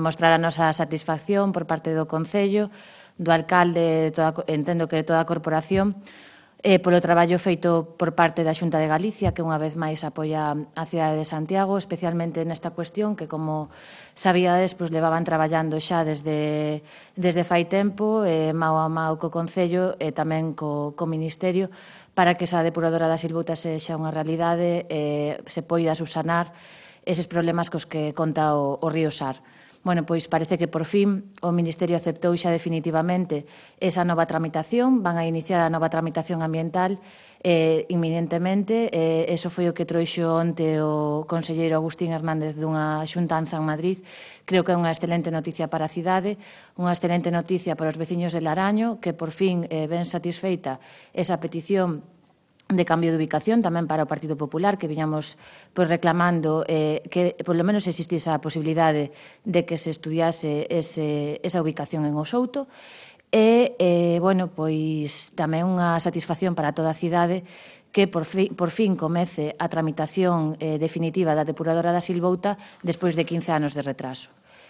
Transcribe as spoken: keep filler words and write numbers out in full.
Mostrar a nosa satisfacción por parte do Concello, do alcalde, toda, entendo que de toda a corporación, eh, polo traballo feito por parte da Xunta de Galicia, que unha vez máis apoia a cidade de Santiago, especialmente nesta cuestión que, como sabíades, pues, levaban traballando xa desde, desde fai tempo, eh, mao a mao co Concello e tamén co, co Ministerio, para que esa depuradora da Silvuta sexa unha realidade e eh, se poida subsanar eses problemas cos que conta o, o río Sar. Bueno, pois parece que por fin o Ministerio aceptou xa definitivamente esa nova tramitación, van a iniciar a nova tramitación ambiental eh, inminentemente. Eh, eso foi o que trouxo onte o conselleiro Agustín Hernández dunha xuntanza en Madrid. Creo que é unha excelente noticia para a cidade, unha excelente noticia para os veciños de Laraño, que por fin eh, ven satisfeita esa petición de cambio de ubicación tamén para o Partido Popular, que viñamos pois, reclamando eh, que polo menos existise a posibilidade de que se estudiase ese, esa ubicación en Osouto. E, eh, bueno, pois tamén unha satisfacción para toda a cidade que por, fi, por fin comece a tramitación eh, definitiva da depuradora da Silvouta despois de quince anos de retraso.